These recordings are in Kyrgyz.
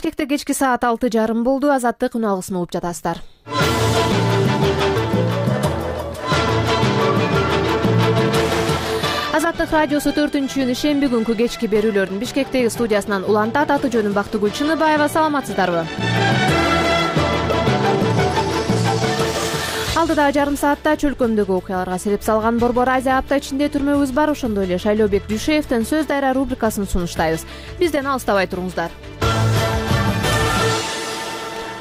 Бишкекте кечки саат 6:30 болду. Азаттык үн алгысын угуп жатасыздар. Азаттык радиосу 4-июнь ишемби күнкү кечки берүүлөрдүн Бишкектеги студиясынан улантат. Аты жөнүм Бактыгүл Чыныбаева. Саламатсыздарбы? Алдыда жарым саатта чөлкөмдөгү окуяларга себеп салган Борбор Азия апта ичинде түрмөбүз бар. Ошондой эле Шайлообек Дүйшеевдин Сөз дайра рубрикасын сунуштайбыз. Бизден алыстабай туруңуздар.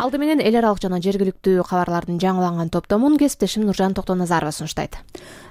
Алды менен эл аралык жана жергиликтүү кабарлардын жаңыланган топтомун кесиптешим Нуржан Токтоназарова сунуштайт.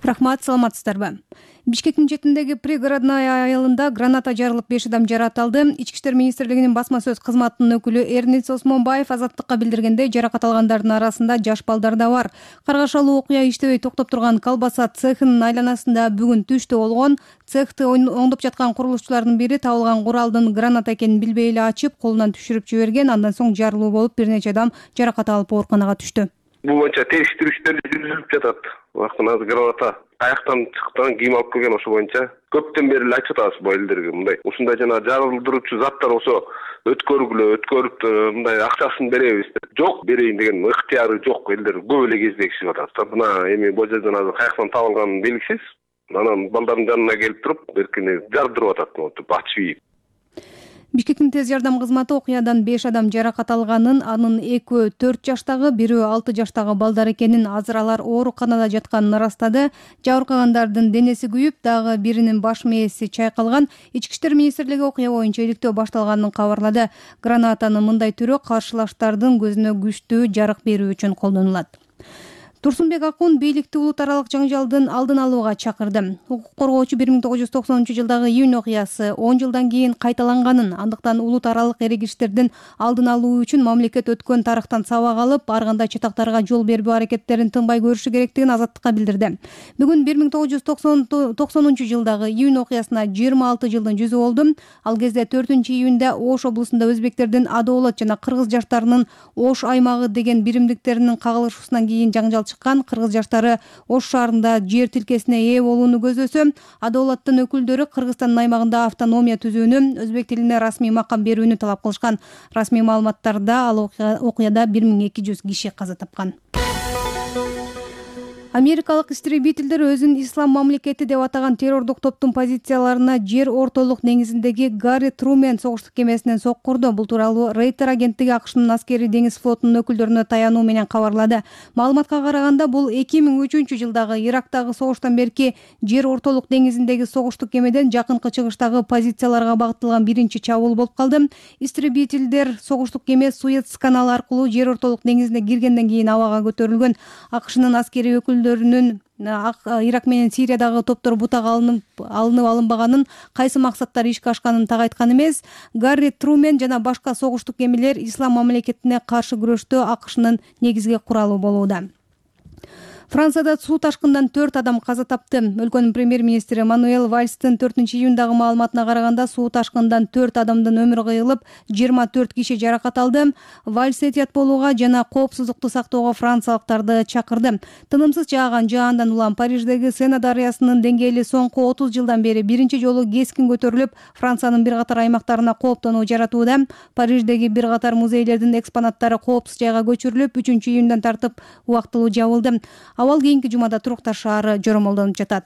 Рахмат, саламатсыздарбы? Бишкектин четиндеги пригородной айылында граната жарылып 5 адам жаракат. Ички иштер министрлигинин басма сөз кызматынын өкүлү Эрниц Осмонбаев Азаттыкка билдиргендей, жаракат алгандардын арасында жаш балдар да бар. Каргашалуу окуя иштебей токтоп турган колбаса цехинин айланасында бүгүн түштө болгон. Цехти оңдоп жаткан курулушчулардын бири табылган куралдын граната экенин билбей эле ачып, колунан түшүрүп жиберген. Андан соң жарылуу болуп, бир нече адам жаракат алып ооруканага түштү. Бул боюнча териштирүү иштери жүрүлүп жатат. Убактында граната каяктан чыккан, ким алып келген, ошо боюнча көптөн бери эле айтып атабыз бу элдерге. Мындай ушундай жана жарылдыруучу заттар болсо өткөрүп мындай акчасын беребиз деп. Жок, берейин деген ыктыяры жок. Элдер көп эле кездешип атат. Мына эми бул жерден азыр каяктан табылганы белгисиз. Анан балдардын жанына келип туруп, беркине жардырып атат, антип ачып. Бишкектин тез жардам кызматы окуядан 5 адам жаракат алганын, анын экөө 4 жаштагы, бирөө 6 жаштагы балдар экенин, азыр алар ооруканада жатканын ырастады. Жабыркагандардын денеси күйүп, дагы биринин баш мээси чайкалган. Ички иштер министрлиги окуя боюнча иликтөө башталганын кабарлады. Гранатанын мындай түрү каршылаштардын көзүнө күчтүү жарык берүү үчүн колдонулат. Турсунбек Акун бийликти улут аралык жаңжалдын алдын алууга чакырды. Укук коргоочу 1990-жылдагы июнь окуясы 10 жылдан кийин кайталанганын, андыктан улут аралык эрегиштердин алдын алуу үчүн мамлекет өткөн тарыхтан сабак алып, ар кандай чатактарга жол бербөө аракеттерин тынбай көрүшү керектигин Азаттыкка билдирди. Бүгүн 1990-жылдагы июнь окуясына 26 жылдын жүзү болду. Ал кезде 4-июнда Ош облусунда өзбектердин Адоолат жана кыргыз жаштарынын Ош аймагы деген биримдиктеринин кагылышуусунан кийин жаңжал кыргыз жаштары Ош шаарында жер тилкесине ээ болууну көздөсө, Адоолаттын өкүлдөрү Кыргызстандын аймагында автономия түзүүнү, өзбек тилине расмий макам берүүнү талап кылышкан. Расмий маалыматтарда ал окуяда 1200 киши каза тапкан. Америкалык истребительдер өзүн ислам мамлекети деп атаган террордук топтун позицияларына жер ортолук деңизиндеги Гарри Трумен согуштук кемесинен соккурду. Бул тууралуу Рейтер агенттиги АКШнын аскери деңиз флотунун өкүлдөрүнө таянуу менен кабарлады. Маалыматка караганда, бул 2003-жылдагы Ирактагы согуштан берки жер ортолук деңизиндеги согуштук кемеден жакынкы чыгыштагы позицияларга багытталган биринчи чабуул болуп калды. Истребительдер согуштук кеме Суэц каналы аркылуу жер ортолук деңизине киргенден кийин абага көтөрүлгөн. АКШнын аскери өкүлдөрүнүн Ирак менен Сириядагы топтор бутак алынбаганын, кайсы максаттар ишке ашканын так айткан эмес. Гарри Трумен жана башка согуштук кемелер ислам мамлекетине каршы күрөштө АКШнын негизги куралы болууда. Францияда суу ташкындан 4 адам каза тапты. Өлкөнүн премьер-министри Мануэль Вальстын 4-июндагы маалыматына караганда, суу ташкындан 4 адамдын өмүрү кыйылып, 24 киши жаракат алды. Вальс этият болууга жана коопсуздукту сактоого франциялыктарды чакырды. Тынымсыз жааган жаандан улам Париждеги Сена дарыясынын деңгээли соңку 30 жылдан бери биринчи жолу кескин көтөрүлүп, Франциянын бир катар аймактарына кооптонуу жаратууда. Париждеги бир катар музейлердин экспонаттары коопсуз жайга көчүрүлүп, 3-июндан тартып убактылуу жабылды. Абал кийинки жумада Туруктар шаары жоромолдонуп жатат.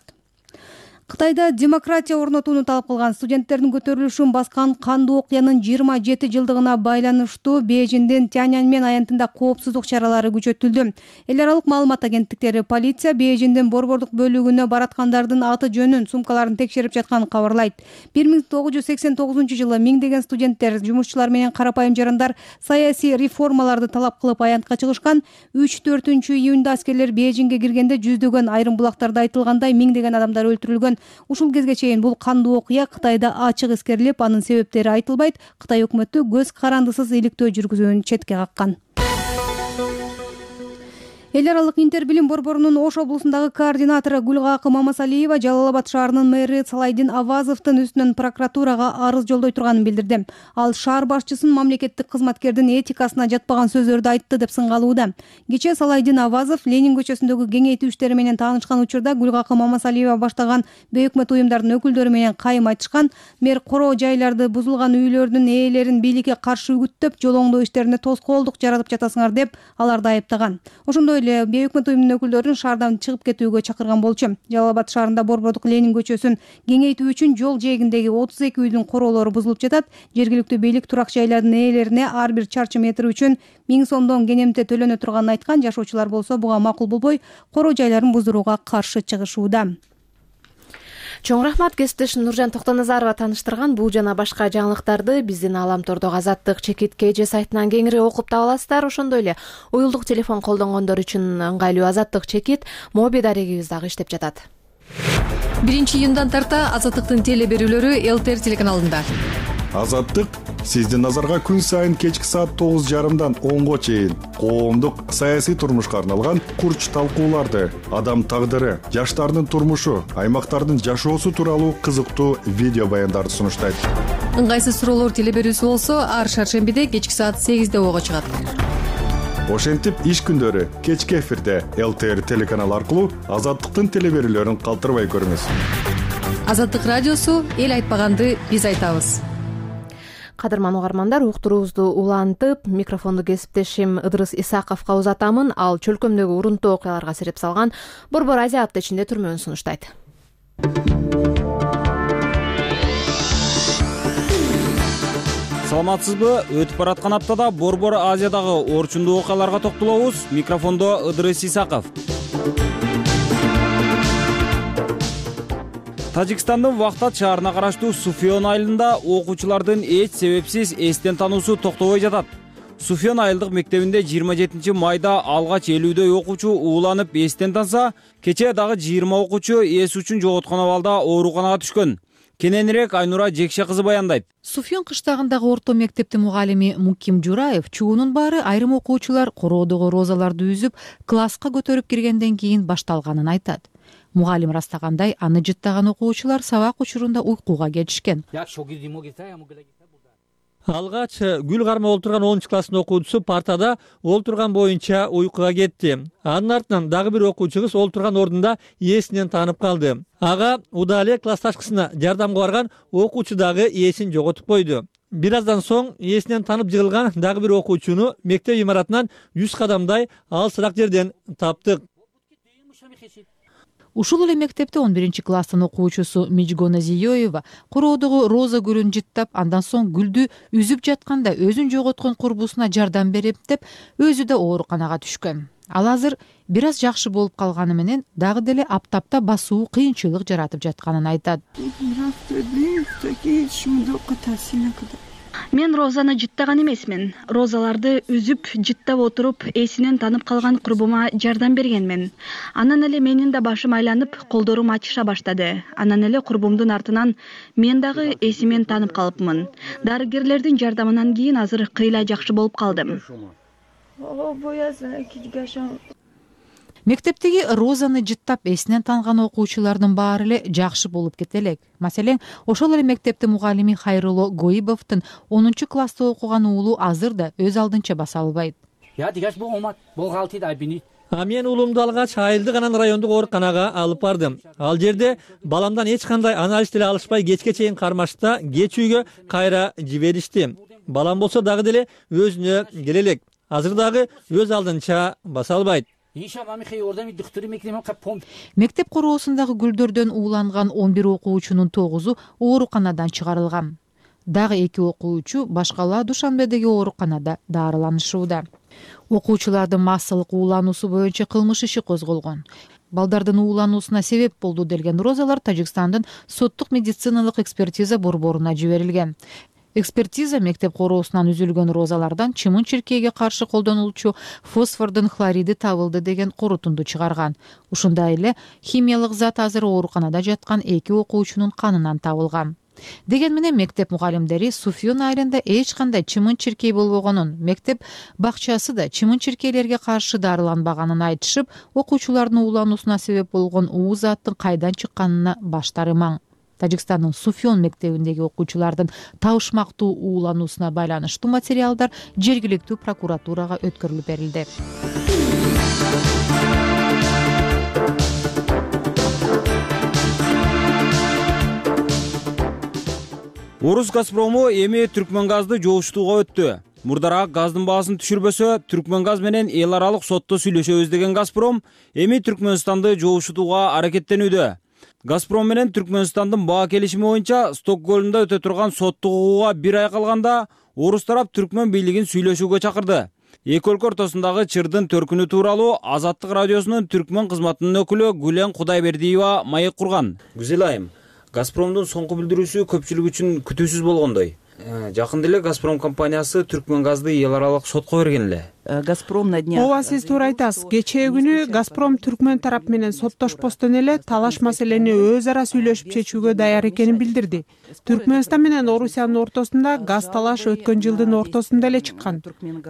Кытайда демократия орнотууну талап кылган студенттердин көтөрүлүшүн баскан кандуу окуянын 27 жылдыгына байланыштуу Бейжиңдин Тяньаньмэн аянтында коопсуздук чаралары күчөтүлдү. Эл аралык маалымат агенттиктери полиция Бейжиңдин борбордук бөлүгүнө бараткандардын аты жөнүн, сумкаларын текшерип жатканын кабарлайт. 1989-жылы миңдеген студенттер, жумушчулар менен карапайым жарандар саясий реформаларды талап кылып аянтка чыгышкан. 3-4-июнда аскерлер Бейжиңге киргенде жүздөгөн, айрым булактарда айтылгандай миңдеген адамдар өлтүрүлгөн. Ушул кезге чейин бул кандуу окуя Кытайда ачык эскерилип, анын себептери айтылбайт. Кытай өкмөтү көз карандысыз иликтөө жүргүзүүнү четке каккан. Эл аралык Интер билим борборунун Ош облусундагы координатору Гүлгакы Мамасалиева Жалал абад шаарынын мэри Салайдин Авазовдун үстүнөн прокуратурага арыз жолдой турганын билдирди. Ал шаар башчысынын мамлекеттик кызматкердин этикасына жатпаган сөздөрдү айтты деп сыңгалууда. Кечээ Салайдин Авазов Ленин көчөсүндөгү кеңейтүү иштери менен таанышкан учурда Гүлгакы Мамасалиева баштаган бейөкмөт уюмдардын өкүлдөрү менен кайым айтышкан. Мэр короо жайларды, бузулган үйлөрдүн ээлерин бийликке каршы үгүттөп, жол оңдоо иштерине тоскоолдук жаратып жатасыңар деп аларды айыптаган. Ошондой эле бейөкмөт уюмдун өкүлдөрүн шаардан чыгып кетүүгө чакырган болчу. Жалал абад шаарында борбордук Ленин көчөсүн кеңейтүү үчүн жол жээгиндеги 32 үйдүн короолору бузулуп жатат. Жергиликтүү бийлик турак жайлардын ээлерине ар бир чарчы метр үчүн 1000 сомдон кенемте төлөнө турганын айткан. Жашоочулар болсо буга макул болбой, короо жайларын буздурууга каршы чыгышууда. Чоң рахмат, кесиптешим Нуржан Токтоназарова тааныштырган бул жана башка жаңылыктарды биздин Аламтордогу Азаттык чекит KG сайтынан кеңири окуп таба аласыздар. Ошондой эле уюлдук телефон колдонгондор үчүн ыңгайлуу Азаттык чекит моби дарегибиз дагы иштеп жатат. 1-июндан тарта Азаттыктын теле берүүлөрү ЛТР телеканалында. Азаттык сиздин назарга күн сайын кечки саат 9:30 10го чейин коомдук саясий турмушка арналган курч талкууларды, адам тагдыры, жаштардын турмушу, аймактардын жашоосу тууралуу кызыктуу видео баяндарды сунуштайт. Ыңгайсыз суроолор теле берүүсү болсо ар шаршембиде кечки саат 8:00 ого чыгат. Ошентип иш күндөрү кечки эфирде ЛТР телеканалы аркылуу Азаттыктын теле берүүлөрүн калтырбай көрүңүз. Азаттык радиосу эл айтпаганды биз айтабыз. Кадырман угармандар, уктуруубузду улантып, микрофонду кесиптешим Ыдырыс Исаковго узатамын. Ал чөлкөмдөгү урунтуу окуяларга сереп салган Борбор Азия апта ичинде түрмөөн сунуштайт. Саламатсызбы? Өтүп бараткан аптада Борбор Азиядагы орчундуу окуяларга токтолобуз. Микрофондо Ыдырыс Исаков. Тажикстандын Вахтат шаарына караштуу Суфьон айылында окуучулардын эч себепсиз эстен таануусу токтобой жатат. Суфьон айылдык мектебинде 27 майда алгач 50дөй окуучу ууланып эстен танса, кечээ дагы 20 окуучу эс үчүн жоготкон абалда ооруканага түшкөн. Кененирээк Айнура Жекше кызы баяндайт. Суфьон кыштагындагы орто мектептин мугалими Муким Жураев чуунун баары айрым окуучулар короодогу розаларды үзүп, класска көтөрүп киргенден кийин башталганын айтат. Мугалим растагандай, аны жыттаган окуучулар сабак учурунда уйкуга кетишкен. Алгач гүл кармап олтурган 10 класстын окуучусу партада олтурган боюнча уйкуга кетти. Анын артынан дагы бир окуучу кыз олтурган ордунда эсинен таанып калды. Ага Удале классташкысына жардамга барган окуучу дагы эсин жоготуп койду. Бир аздан соң эсинен таанып жыгылган дагы бир окуучуну мектеп имаратынан 100 кадамдай алысыраак жерден таптык. Ушул эле мектепте 11 класстын окуучусу Мижгона Зиёева короодогу роза гүлүн жыттап, андан соң гүлдү үзүп жатканда өзүн жоготкон курбусуна жардам берип деп, өзү да ооруканага түшкөн. Ал азыр бир аз жакшы болуп калганы менен дагы деле аптапта басуу кыйынчылык жаратып жатканын айтат. Мен розаны жыттаган эмесмин. Розаларды үзүп, жыттап отуруп, эсинен танып калган курбума жардам бергенмин. Анан эле менин да башым айланып, колдорум ачыша баштады. Анан эле курбумдун артынан мен дагы эсимен танып калыпмын. Дарыгерлердин жардамынан кийин азыр кыйла жакшы болуп калдым. Мектептеги розаны жыттап эсинен танган окуучулардын баары эле жакшы болуп кете элек. Маселен, ошол эле мектептин мугалими Хайруло Гоибовдун 10 класста окуган уулу азыр да өз алдынча баса албайт. Мен уулумду алгач айылдык анан райондук ооруканага алып бардым. Ал жерде баламдан эч кандай анализ деле алышпай кечке чейин кармашта кеч үйгө кайра жиберишти. Балам болсо дагы деле өзүнө келе элек. Азыр дагы өз алдынча баса албайт. Мектеп короосундагы гүлдөрдөн ууланган 11 окуучунун 9-у ооруканадан чыгарылган. Дагы 2 окуучу башкала Душанбедеги ооруканада дарыланышууда. Окуучулардын массалык уулануусу боюнча кылмыш иши козголгон. Балдардын уулануусуна себеп болду делген розалар Тажикстандын соттук медициналык экспертиза борборуна жиберилген. Экспертиза мектеп короосунан үзүлгөн розалардан чымын-чиркейге каршы колдонулчу фосфордун хлориди табылды деген корутунду чыгарган. Ушундай эле химиялык зат азыр ооруканада жаткан 2 окуучунун канынан табылган. деген менен мектеп мугалимдери Суфьон айылында эч кандай чымын-чиркей болбогонун, мектеп бакчасы да чымын-чиркейлерге каршы дарыланбаганын айтышып, окуучулардын уулануусуна себеп болгон ууз аттын кайдан чыкканына баштары маң. Тажикстандын Суфьон мектебиндеги окуучулардын табышмактуу уулануусуна байланыштуу материалдар жергиликтүү прокуратурага өткөрүлүп берилди. Орус Газпрому эми Түркмөнгазды жоошутууга өттү. Мурдараак газдын баасын түшүрбөсө, Түркмөнгаз менен эл аралык сотто сүйлөшөбүз деген Газпром эми Түркмөнстанды жоошутууга аракеттенүүдө. Газпром менен Түркмөнстандын баа келишими боюнча Стокгольмдо өтө турган соттук угууга 1 ай калганда орус тарап Түркмөн бийлигин сүйлөшүүгө чакырды. Эки өлкө ортосундагы чырдын төркүнү тууралуу Азаттык радиосунун Түркмөн кызматынын өкүлү Гүлен Кудайбердиева маек курган. Гүзел айым, Газпромдун соңку билдирүүсү көпчүлүк үчүн күтүүсүз болгондой. Жакында эле Газпром компаниясы Түркмөнгазды эл аралык сотко берген эле. Газпром на днях. Ооба, сиз туура айтасыз. Кечээ күнү Газпром Түркмөн тарап менен соттошпостон эле талаш маселени өз ара сүйлөшүп чечүүгө даяр экенин билдирди. Түркмөнстан менен Орусиянын ортосунда газ талаш өткөн жылдын ортосунда эле чыккан.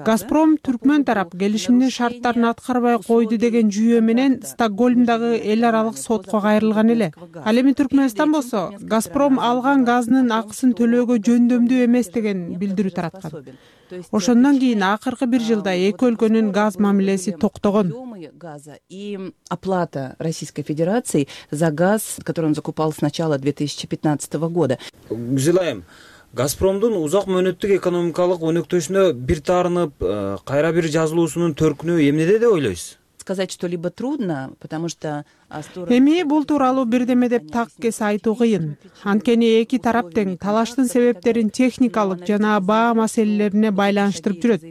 Газпром Түркмөн тарап келишимдин шарттарын аткарбай койду деген жүйө менен Стокгольмдагы эл аралык сотко кайрылган эле. Ал эми Түркмөнстан болсо Газпром алган газынын акысын төлөөгө жөндөмдүү эмес деген билдирүү тараткан. Ошондон кийин акыркы 1 жылда эки өлкөнүн газ мамилеси токтогон. И оплата Российской Федерации за газ, который он закупал с начала 2015 года. Гүзел айым, Газпромдун узак мөөнөттүк экономикалык өнөктөшүнө бир таарынып, кайра бир жазылуусунун төркүнү эмнеде деп ойлойсуз? Сказать что-либо трудно, потому что эми бул тууралуу бирдеме деп так кес айтуу кыйын. Анткени эки тарап тең талаштын себептерин техникалык жана баа маселелерине байланыштырып жүрөт.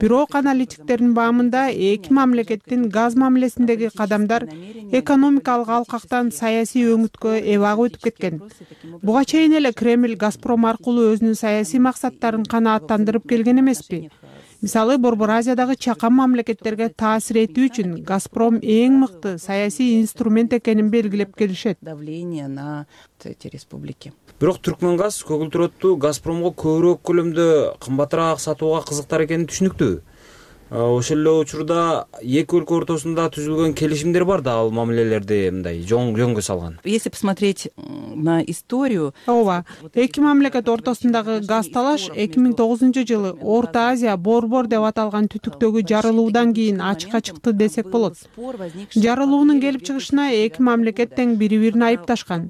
Бирок аналитиктердин баамында эки мамлекеттин газ мамилесиндеги кадамдар экономикалык алкактан саясий өңүткө эбак өтүп кеткен. Буга чейин эле Кремль Газпром аркылуу өзүнүн саясий максаттарын канааттандырып келген эмеспи? Мисалы, Борбор Азиядагы чакан мамлекеттерге таасир этүү үчүн Газпром эң мыкты саясий инструмент экенин белгилеп келишет. Давление на эти республики. Бирок Түркмөнгаз көгүлтүрөттү Газпромго көбүрөөк көлөмдө кымбатыраак сатууга кызыктар экени түшүнүктүү. Ошол эле учурда эки өлкө ортосунда түзүлгөн келишимдер бар да, ал мамилелерди мындай жөнгө салган. Если посмотреть на историю, ооба, эки мамлекет ортосундагы газ талаш 2009-жылы Орто Азия борбор деп аталган түтүктөгү жарылуудан кийин ачыкка чыкты десек болот. Жарылуунун келип чыгышына эки мамлекет тең бири-бирин айыпташкан.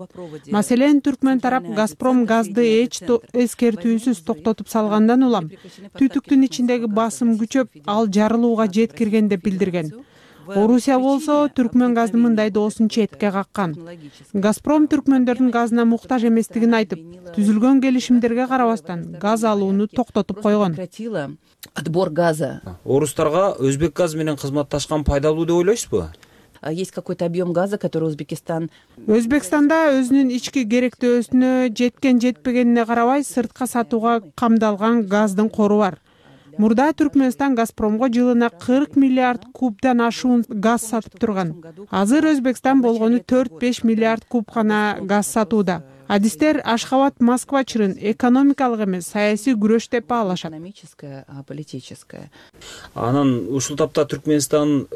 Маселен, Түркмөн тарап Газпром газды эч эскертүүсүз токтотуп салгандан улам түтүктүн ичиндеги басым күчөп, ал жарылууга жеткирген деп билдирген. Орусия болсо Түркмөн газды мындай доосун четке каккан. Газпром түркмөндөрдүн газына муктаж эместигин айтып, түзүлгөн келишимдерге карабастан газ алууну токтотуп койгон. Отбор газа. Орустарга Өзбек газ менен кызматташкан пайдалуу деп ойлойсузбу? Есть какой-то объем газа, который Өзбекстанда өзүнүн ички керектөөсүнө жеткен жетпегенине карабай сыртка сатууга камдалган газдын кору бар. Мурда Түркмөнстан Газпромго жылына 40 миллиард кубдан ашуун газ сатып турган. Азыр Өзбекстан болгону 4-5 миллиард куб гана газ сатууда. Адистер Ашхабад-Москва чырын экономикалык эмес, саясий күрөш деп баалашат. Политическая. Анан ушул тапта Түркмөнстан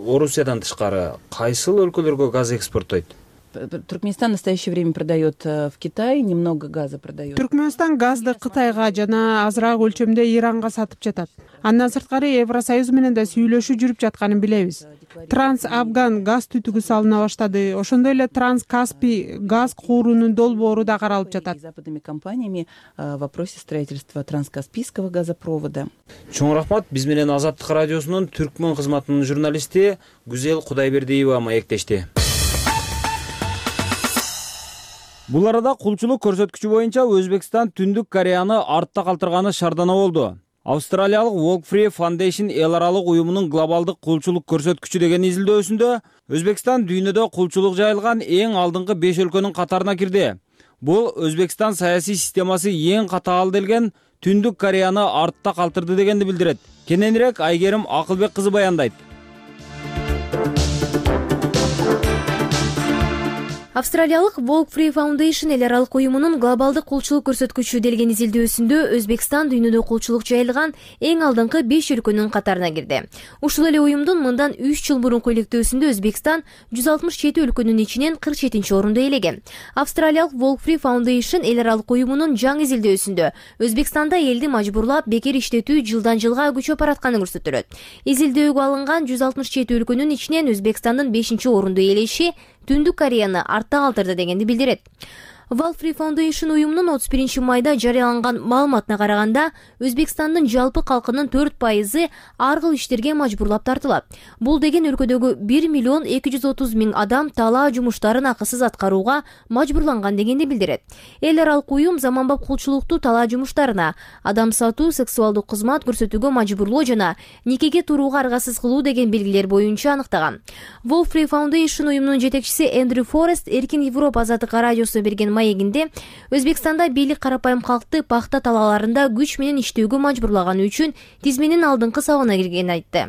Орусиядан тышкары кайсыл өлкөлөргө газ экспорттойт? Туркменистан в настоящее время продает в Китай, немного газа продает. Түркмөнстан газды Кытайга жана азыраак өлчөмдө Иранга сатып жатат. Андан сырткары Евросоюз менен да сүйлөшүү жүрүп жатканын билебиз. Транс-Афган газ түтүгү салына баштады. Ошондой эле Транс-Каспий газ куурунун долбоору да каралып жатат. Западными компаниями в вопросе строительства Транскаспийского газопровода. Чоң рахмат. Биз менен Азаттык радиосунун Түркмөн кызматынын журналисти Гүзел Кудайбердиева маектешти. Бул арада кулчулук көрсөткүчү боюнча Өзбекстан Түндүк Кореяны артта калтырганы шаардана болду. Австралиялык Walk Free Foundation эл аралык уюмунун глобалдык кулчулук көрсөткүчү деген изилдөөсүндө Өзбекстан дүйнөдө кулчулук жайылган эң алдыңкы 5 өлкөнүн катарына кирди. Бул Өзбекстан саясий системасы эң катаал делген Түндүк Кореяны артта калтырды дегенди билдирет. Кененирээк Айгерим Акылбек кызы баяндайт. Австралиялык Walk Free Foundation эл аралык уюмунун глобалдык кулчулук көрсөткүчү делген изилдөөсүндө Өзбекстан дүйнөдө кулчулук жайылган эң алдыңкы 5 өлкөнүн катарына кирди. Ушул эле уюмдун мындан 3 жыл мурунку иликтөөсүндө Өзбекстан 167 өлкөнүн ичинен 47 орунду ээлеген. Австралиялык Walk Free Foundation эл аралык уюмунун жаңы изилдөөсүндө Өзбекстанда элди мажбурлап бекер иштетүү жылдан жылга күчөп баратканы көрсөтүлөт. Изилдөөгө алынган 167 өлкөнүн ичинен Өзбекстандын 5 орунду ээлеши Түндүк Кореяны артта калтырды дегенди билдирет. Walk Free Foundation уюмунун 31 майда жарыяланган маалыматына караганда, Өзбекстандын жалпы калкынын 4% ар кыл иштерге мажбурлап тартылат. Бул деген өлкөдөгү 1,230,000 адам талаа жумуштарын акысыз аткарууга мажбурланган дегенди билдирет. Эл аралык уюм заманбап кулчулукту талаа жумуштарына, адам сатуу, сексуалдык кызмат көрсөтүүгө мажбурлоо жана никеге турууга аргасыз кылуу деген белгилер боюнча аныктаган. Walk Free Foundation уюмунун жетекчиси Эндрю Форест Эркин Европа азаттык радиосуна берген маегинде Өзбекстанда бийлик карапайым калкты пахта талааларында күч менен иштөөгө мажбурлаганы үчүн тизменин алдыңкы сабына киргенин айтты.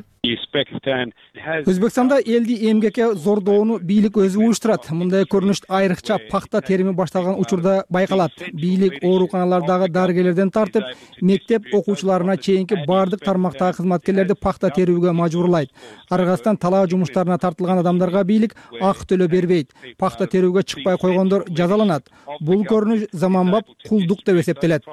Өзбекстанда элди эмгекке зордоону бийлик өзү уюштурат. Мындай көрүнүш айрыкча пахта терими башталган учурда байкалат. Бийлик ооруканалардагы дарыгерлерден тартып, мектеп окуучуларына чейинки бардык тармактагы кызматкерлерди пахта терүүгө мажбурлайт. Аргасынан талаа жумуштарына тартылган адамдарга бийлик акы төлөө бербейт. Пахта терүүгө чыкпай койгондор жазаланат. Бул көрүнүш заманбап кулдук деп эсептелет.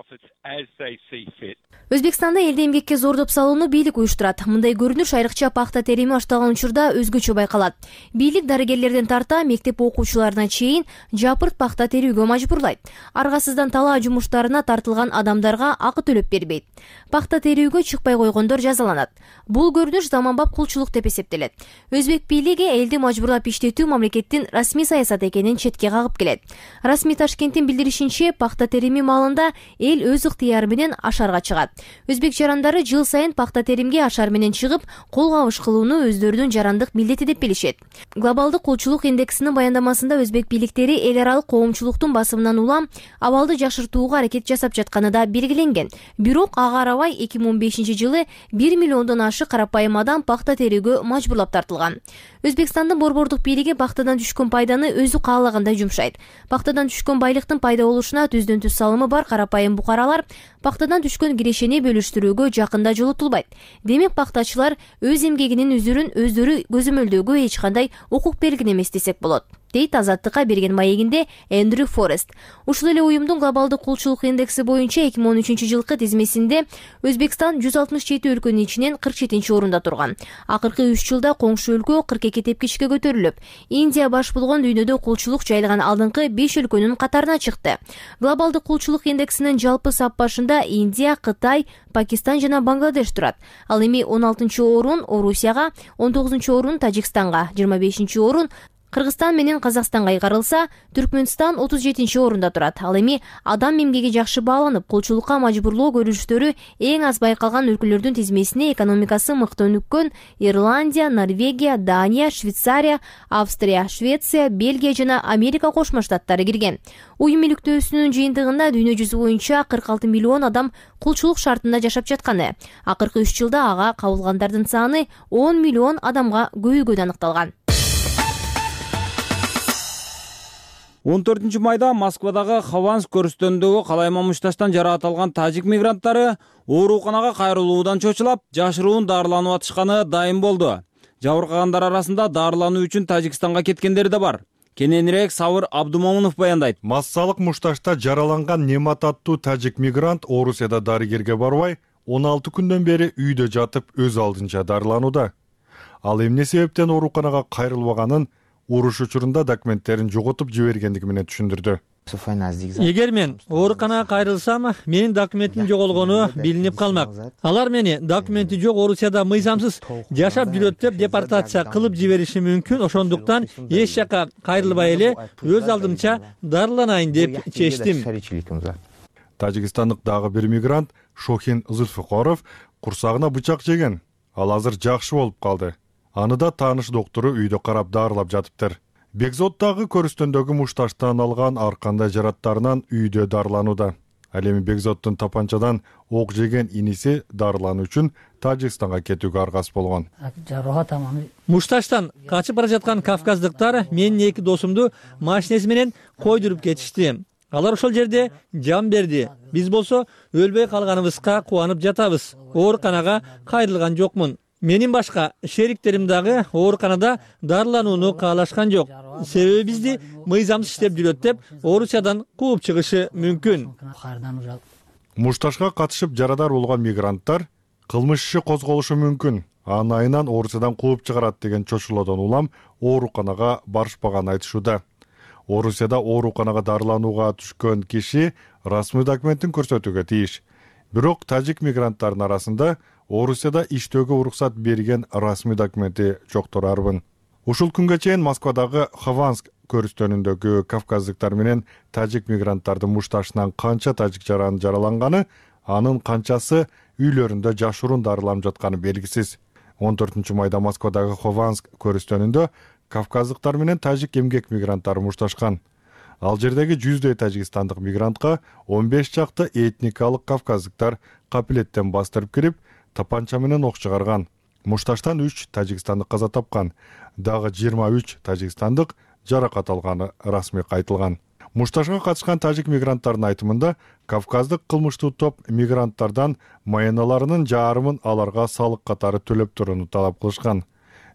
Өзбекстанда элди эмгекке зордоп салууну бийлик уюштурат. Мындай көрүнүш айрыкча пахта терими башталган учурда өзгөчө байкалат. Бийлик дарыгерлерден тарта мектеп окуучуларына чейин жапырт пахта терүүгө мажбурлайт. Аргасыздан талаа жумуштарына тартылган адамдарга акы төлөп бербейт. Пахта терүүгө чыкпай койгондор жазаланат. Бул көрүнүш заманбап кулчулук деп эсептелет. Өзбек бийлиги элди мажбурлап иштетүү мамлекеттин расмий саясаты экенин четке кагып келет. Расмий Ташкенттин билдиришинче, пахта терими маалында эл өз ыктыяры менен ашарга чыгат. Өзбек жарандары жыл сайын пахта теримге ашар менен чыгып, кол кабыш кылууну өздөрүнүн жарандык милдети деп билишет. Глобалдык кулчулук индексинин баяндамасында өзбек бийликтери эл аралык коомчулуктун басымынан улам абалды жакшыртууга аракет жасап жатканы да белгиленген. Бирок ага карабай 2015 жылы 1 миллиондон ашык карапайым адам пахта терүүгө мажбурлап тартылган. Өзбекстандын борбордук бийлиги пахтадан түшкөн пайданы өзү каалагандай жумшайт. Пахтадан түшкөн байлыктын пайда болушуна түздөн түз салымы бар карапайым букаралар пахтадан түшкөн кирешени бөлүштүрүүгө жакында жолотулбайт. Демек пахтачылар өз эмгегинин үзүрүн өздөрү көзөмөлдөөгө эч кандай укук берген эмес десек болот, дейт азаттыкка берген маегинде Эндрю Форест. Ушул эле уюмдун глобалдык кулчулук индекси боюнча 2013 жылкы тизмесинде Өзбекстан 167 өлкөнүн ичинен 47 орунда турган. Акыркы 3 жылда коңшу өлкө 42 тепкичке көтөрүлүп, Индия баш болгон дүйнөдө кулчулук жайылган алдыңкы 5 өлкөнүн катарына чыкты. Глобалдык кулчулук индексинин жалпы саппашында Индия, Кытай, Пакистан жана Бангладеш турат. Ал эми 16 орун Орусияга, 19 орун Тажикстанга, 25 орун Кыргызстан менен Казакстанга кайгарылса, Түркмөнстан 37 орунда турат. Ал эми адам эмгеги жакшы бааланып, кулчулукка мажбурлоо көрүнүштөрү эң аз байкалган өлкөлөрдүн тизмесине экономикасы мыкты өнүккөн Ирландия, Норвегия, Дания, Швейцария, Австрия, Швеция, Бельгия жана Америка Кошмо Штаттары кирген. Уюм иликтөөсүнүн жыйынтыгында дүйнө жүзү боюнча 46 миллион адам кулчулук шартында жашап жатканы. Акыркы 3 жылда ага кабылгандардын саны 10 миллион адамга көбөйгөнү аныкталган. 14 майда Москвадагы Хованск көрүстөнүндөгү калайма мушташтан жарааталган тажик мигранттары ооруканага кайрылуудан чочулап, жашыруун дарыланып атышканы дайым болду. Жабыркагандар арасында дарылануу үчүн Тажикстанга кеткендер да бар. Кененирээк Сабыр Абдумомунов баяндайт. Массалык мушташта жараланган Немат аттуу тажик мигрант Орусияда дарыгерге барбай, 16 күндөн бери үйдө жатып өз алдынча дарыланууда. Ал эмне себептен ооруканага кайрылбаганын уруш учурунда документтерин жоготуп жибергендиги менен түшүндүрдү. Эгер мен ооруканага кайрылсам, менин документим жоголгону билинип калмак. Алар мени документи жок Орусияда мыйзамсыз жашап жүрөт деп депортация кылып жибериши мүмкүн. Ошондуктан эч жака кайрылбай эле өз алдымча дарыланайын деп чечтим. Тажикстандык дагы бир мигрант Шохин Зульфикоров курсагына бычак жеген. Ал азыр жакшы болуп калды. Аны да тааныш доктору үйдө карап дарылап жатыптыр. Бекзоттагы көрүстөндөгү мушташтан алган ар кандай жараттарынан үйдө дарыланууда. Ал эми Бекзоттун тапанчадан ок жеген иниси дарылануу үчүн Тажикстанга кетүүгө аргасыз болгон. Мушташтан качып бара жаткан кавказдыктар менин 2 досумду машинеси менен койдуруп кетишти. Алар ошол жерде жан берди. Биз болсо өлбөй калганыбызга кубанып жатабыз. Ооруканага кайрылган жокмун. Менин башка шериктерим дагы ооруканада дарыланууну каалашкан жок. Себеби бизди мыйзамсыз иштеп жүрөт деп Орусиядан кууп чыгышы мүмкүн. Мушташка катышып жарадар болгон мигранттар кылмыш иши козголушу мүмкүн. Анын айынан Орусиядан кууп чыгарат деген чочулоодон улам ооруканага барышпаганын айтышууда. Орусияда ооруканага дарыланууга түшкөн киши расмий документин көрсөтүүгө тийиш. Бирок тажик мигранттардын арасында Орусияда иштөөгө уруксат берген расмий документи жоктор арбын. Ушул күнгө чейин Москвадагы Хованск көрүстөнүндөгү кавказдыктар менен тажик мигранттардын мушташынан канча тажик жаран жараланганы, анын канчасы үйлөрүндө жашыруун дарыланып жатканы белгисиз. 14-майда Москвадагы Хованск көрүстөнүндө кавказдыктар менен тажик эмгек мигранттары мушташкан. Ал жердеги 100дөй тажикстандык мигрантка 15 чакты этникалык кавказдыктар капилеттен бастырып кирип, тапанча менен ок чыгарган. Мушташтан 3 тажикстандык каза тапкан, дагы 23 тажикстандык жаракат алганы расмий кайтылган. Мушташка катышкан тажик мигранттардын айтымында, кавказдык кылмыштуу топ мигранттардан маяналарынын жарымын аларга салык катары төлөп турууну талап кылышкан.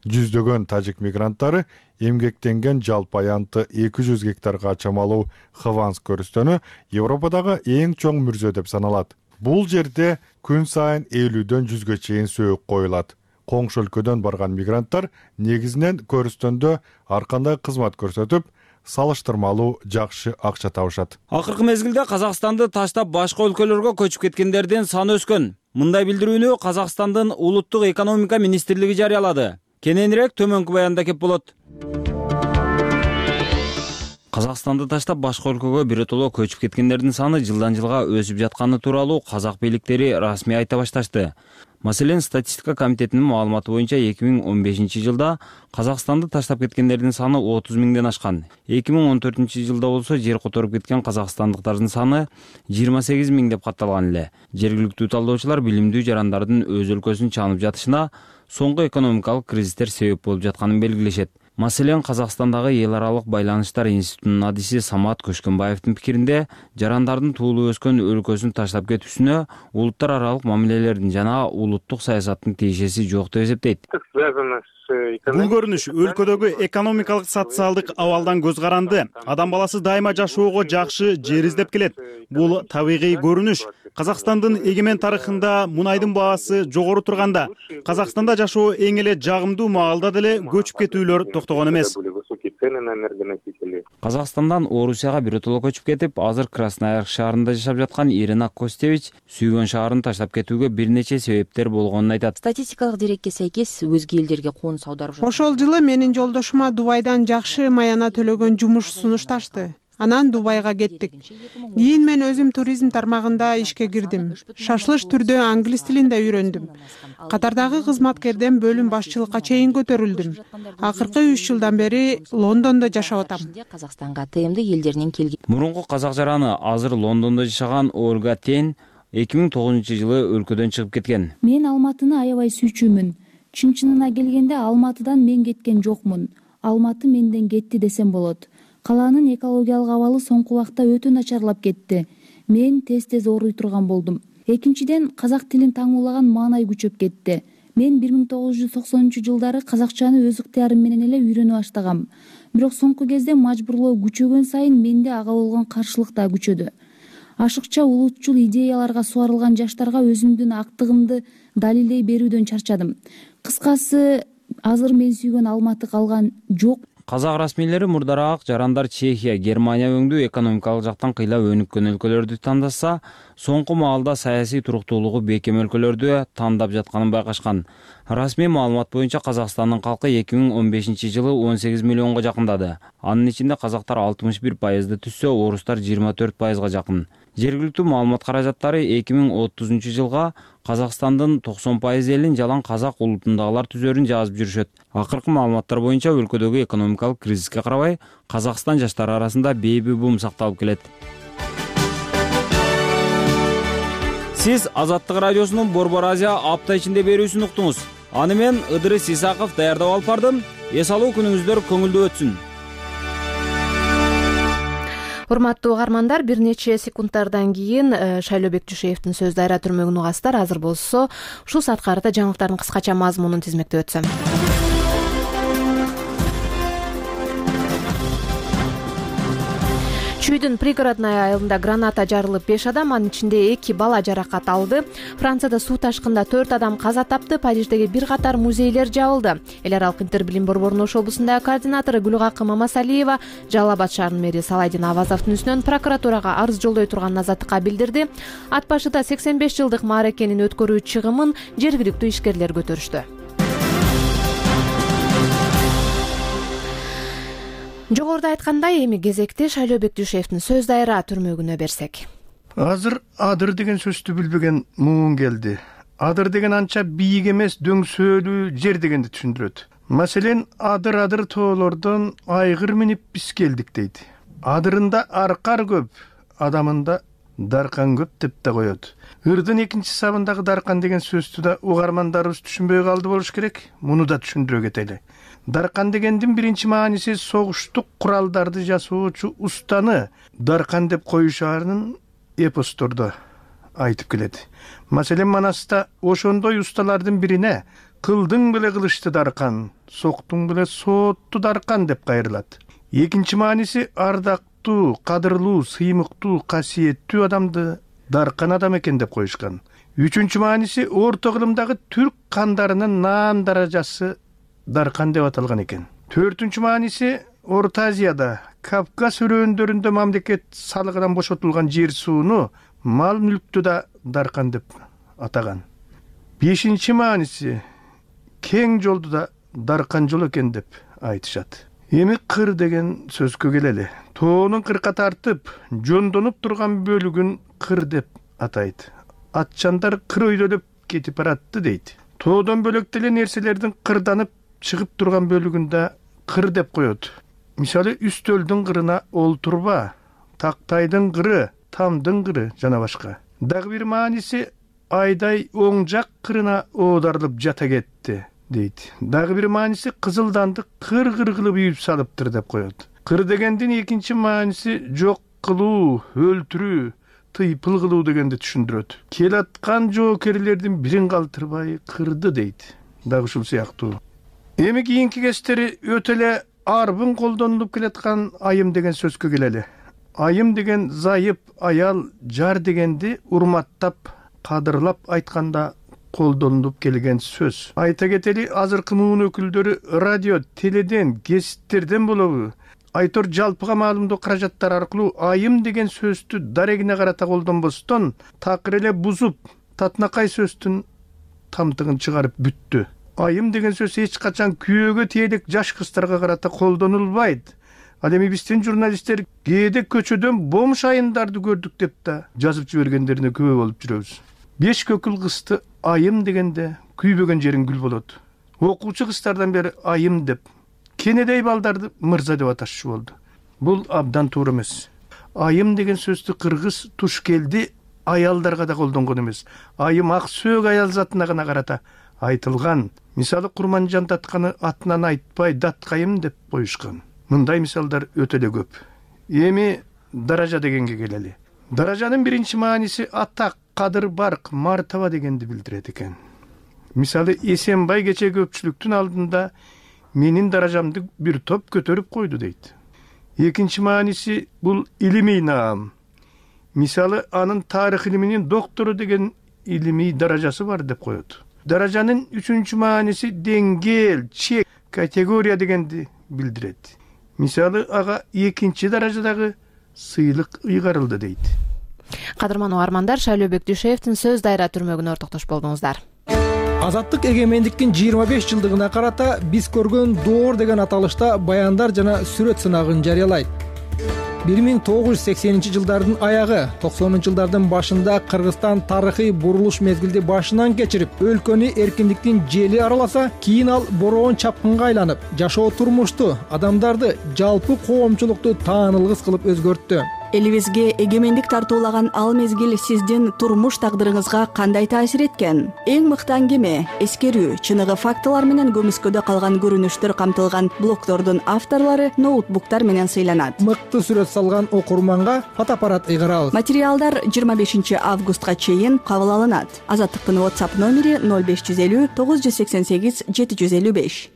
Жүздөгөн тажик мигранттары эмгектенген жалпы аянты 200 гектарга чамалуу Хованск көрүстөнү Европадагы эң чоң мүрзө деп саналат. Бул жерде күн сайын 50дөн 100ге чейин сөөк коюлат. Коңшу өлкөдөн барган мигранттар негизинен көрүстөндө ар кандай кызмат көрсөтүп, салыштырмалуу жакшы акча табышат. Акыркы мезгилде Казакстанды таштап башка өлкөлөргө көчүп кеткендердин саны өскөн. Мындай билдирүүнү Казакстандын улуттук экономика министрлиги жарыялады. Кененирээк төмөнкү баянда кеп болот. Казакстанды таштап башка өлкөгө биротоло көчүп кеткендердин саны жылдан жылга өсүп жатканы тууралуу казак бийликтери расмий айта башташты. Маселен, статистика комитетинин маалыматы боюнча 2015-жылда Казакстанды таштап кеткендердин саны 30 миңден ашкан. 2014-жылда болсо жер которуп кеткен казакстандыктардын саны 28 миң деп катталган эле. Жергиликтүү талдоочулар билимдүү жарандардын өз өлкөсүн чанып жатышына соңку экономикалык кризистер себеп болуп жатканын белгилешет. Маселен, Казакстандагы эл аралык байланыштар институтунун адиси Самат Көшкөнбаевдин пикиринде, жарандардын туулуп өскөн өлкөсүн таштап кетүүсүнө улуттар аралык мамилелердин жана улуттук саясаттын тиешеси жок деп эсептейт. Бул көрүнүш өлкөдөгү экономикалык социалдык абалдан көз каранды. Адам баласы дайыма жашоого жакшы жер издеп келет. Бул табигый көрүнүш. Казакстандын эгемен тарыхында мунайдын баасы жогору турганда, Казакстанда жашоо эң эле жагымдуу маалда деле көчүп кетүүлөр токтогон эмес. Казакстандан Орусияга биротоло көчүп кетип, азыр Красноярск шаарында жашап жаткан Ирина Костевич сүйгөн шаарын таштап кетүүгө бир нече себептер болгонун айтат. Статистикалык дерекке сайкес өзге элдерге конус аударып жатат. Ошол жылы менин жолдошума Дубайдан жакшы маяна төлөгөн жумуш сунушташты. Анан Дубайга кеттик. Кийин мен өзүм туризм тармагында ишке кирдим. Шашылыш түрдө англис тилин да үйрөндүм. Катардагы кызматкерден бөлүм башчылыкка чейин көтөрүлдүм. Акыркы 3 жылдан бери Лондондо жашап атам. Казакстанга ТМД элдеринен келген. Мурунку казак жараны азыр Лондондо жашаган Ольга Тен 2009-жылы өлкөдөн чыгып кеткен. Мен Алматыны аябай сүйчүмүн. Чын-чынына келгенде Алматыдан мен кеткен жокмун. Алматы менден кетти десем болот. Калаанын экологиялык абалы соңку убакта өтө начарлап кетти. Мен тез-тез ооруй турган болдум. Экинчиден, казак тилин таңуулаган маанай күчөп кетти. Мен 1990-жылдары казакчаны өз ыктыярым менен эле үйрөнүп баштагам. Бирок соңку кезде мажбурлоо күчөгөн сайын менде ага болгон каршылык да күчөдү. Ашыкча улутчул идеяларга суарылган жаштарга өзүмдүн актыгымды далилдей берүүдөн чарчадым. Кыскасы, азыр мен сүйгөн Алматы калган жок. Казак расмийлери мурдараак жарандар Чехия, Германия өңдүү экономикалык жактан кыйла өнүккөн өлкөлөрдү тандаса, соңку маалда саясий туруктуулугу бекем өлкөлөрдү тандап жатканын байкашкан. Расмий маалымат боюнча Казакстандын калкы 2015-жылы 18 миллионго жакындады. Анын ичинде казактар 61%ды түзсө, орустар 24%га жакын. Жергиликтүү маалымат каражаттары 2030-жылга Казакстандын 90% элин жалаң казак улутундагылар түзөрүн жазып жүрүшөт. Акыркы маалыматтар боюнча өлкөдөгү экономикалык кризиске карабай, Казакстан жаштары арасында бейби бум сакталып келет. Сиз Азаттык радиосунун Борбор Азия апта ичинде берүүсүн уктуңуз. Аны мен Ыдырыс Исаков даярдап алып бардым. Эс алуу күнүңүздөр көңүлдүү өтсүн. Урматтуу угармандар, бир нече секундтардан кийин Шайлообек Жушеевдин сөз дайра түрмөгүн угасыздар. Азыр болсо ушул саатка карата жаңылыктардын кыскача мазмунун тизмектеп өтсөм. Чүйдүн пригородной айылында граната жарылып 5 адам, анын ичинде 2 бала жаракат алды. Францияда суу ташкында 4 адам каза тапты. Париждеги бир катар музейлер жабылды. Эл аралык Интер билим борборунун Ош облусундагы координатору Гүлгакы Мамасалиева Жалал Абад шаарынын мэри Салайдин Авазовдун үстүнөн прокуратурага арыз жолдой турганын азаттыкка билдирди. Ат башыда 85 жылдык мааракенин өткөрүү чыгымын жергиликтүү ишкерлер көтөрүштү. Жогоруда айткандай, эми кезекте Шайлообек Жушеевдин сөз дайра түрмөгүнө берсек. Азыр адыр деген сөздү билбеген муун келди. Адыр деген анча бийик эмес, дөңсөөлүү жер дегенди түшүндүрөт. Маселен, адыр тоолордон айгыр минип биз келдик дейт. Адырында аркар көп, адамында даркан көп деп да коет. Ырдын экинчи сабындагы даркан деген сөздү да угармандарыбыз түшүнбөй калды болуш керек. Муну да түшүндүрө кетели. Даркан дегендин биринчи мааниси согуштук куралдарды жасоочу устаны даркан деп коюшаарын эпостордо айтып келет. Маселен, Манаста ошондой усталардын бирине кылдың беле кылычты даркан, соктуң беле соотту даркан деп кайрылат. Экинчи мааниси ардактуу, кадырлуу, сыймыктуу, касиеттүү адамды даркан адам экен деп коюшкан. Үчүнчү мааниси орто кылымдагы түрк кандарынын наам даражасы даркан деп аталган экен. Төртүнчү мааниси Орто Азияда, Кавказ өрөөндөрүндө мамлекет салыгынан бошотулган жер сууну, мал мүлктү да даркан деп атаган. Бешинчи мааниси кең жолду да даркан жол экен деп айтышат. Эми кыр деген сөзгө келели. Тоонун кырка тартып, жондонуп турган бөлүгүн кыр деп атайт. Атчандар кыр өйдөлөп кетип баратты дейт. Тоодон бөлөк деле нерселердин кырданып чыгып турган бөлүгүндө кыр деп коет. Мисалы, үстөлдүн кырына олтурба, тактайдын кыры, тамдын кыры жана башка. Дагы бир мааниси айдай оң жак кырына оодарылып жата кетти дейт. Дагы бир мааниси кызылданды кыр-кыр кылып үйүп салыптыр деп коет. Кыр дегендин экинчи мааниси жок кылуу, өлтүрүү, тыйпыл кылуу дегенди түшүндүрөт. Келаткан жоокерлердин бирин калтырбай кырды дейт. Дагы ушул сыяктуу. Эми кийинки кездери өтө эле арбын колдонулуп келаткан айым деген сөзгө келели. Айым деген зайып, аял, жар дегенди урматтап, кадырлап айтканда колдонулуп келген сөз. Айта кетели, азыркы муун өкүлдөрү радио, теледен, гезиттерден болобу, айтор жалпыга маалымдоо каражаттар аркылуу айым деген сөздү дарегине карата колдонбостон, такыр эле бузуп, татынакай сөздүн тамтыгын чыгарып бүттү. Айым деген сөз эч качан күйөөгө тиелик жаш кыздарга карата колдонулбайт. Ал эми биздин журналисттер кээде көчөдөн бомж айымдарды көрдүк деп да жазып жибергендерине күбө болуп жүрөбүз. 5 көкүл кызды айым дегенде күйбөгөн жериң гүл болот. Окуучу кыздардан бери айым деп, кенедей балдарды мырза деп аташчу болду. Бул абдан туура эмес. Айым деген сөздү кыргыз тушкелди аялдарга да колдонгон эмес. Айым ак сөөк аял затына гана карата айтылган. Мисалы, Курманжан татканы атынан айтпай даткайым деп коюшкан. Мындай мисалдар өтө эле көп. Эми даража дегенге келели. Даражанын биринчи мааниси атак, кадыр, барк, мартаба дегенди билдирет экен. Мисалы, Эсенбай кече көпчүлүктүн алдында менин даражамды бир топ көтөрүп койду дейт. Экинчи мааниси бул илимий наам. Мисалы, анын тарых илиминин доктору деген илимий даражасы бар деп коет. Даражанын үчүнчү мааниси деңгээл, чек, категория дегенди билдирет. Мисалы, ага экинчи даражадагы сыйлык ыйгарылды дейт. Кадырман угармандар, Шайлообек Жушеевдин сөз дайра түрмөгүнө ортоктош болдуңуздар. Азаттык эгемендиктин 25 жылдыгына карата биз көргөн доор деген аталышта баяндар жана сүрөт сынагын жарыялайт. 1980-жылдардын аягы, 90-жылдардын башында Кыргызстан тарыхый бурулуш мезгилди башынан кечирип, өлкөнү эркиндиктин жели араласа, кийин ал бороон чапкынга айланып, жашоо турмушту, адамдарды, жалпы коомчулукту таанылгыс кылып өзгөрттү. элибизге эгемендик тартуулаган ал мезгил сиздин турмуш тагдырыңызга кандай таасир эткен? Эң мыкты аңгеме, эскерүү, чыныгы фактылар менен көмүскөдө калган көрүнүштөр камтылган блогдордун авторлору ноутбуктар менен сыйланат. Мыкты сүрөт салган окурманга фотоаппарат ыйгарабыз. Материалдар 25 августка чейин кабыл алынат. Азаттыктын WhatsApp номери 0550 988 755.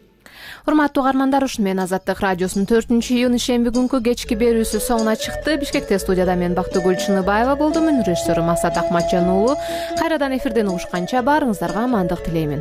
Урматтуу угармандар, ушуну менен Азаттык радиосунун 4-июнь ишемби күнкү кечки берүүсү соңуна чыкты. Бишкекте студияда мен Бактыгүл Чыныбаева болдум. Режиссеру Масат Акматжан уулу. Кайрадан эфирден угушканча баарыңыздарга амандык тилеймин.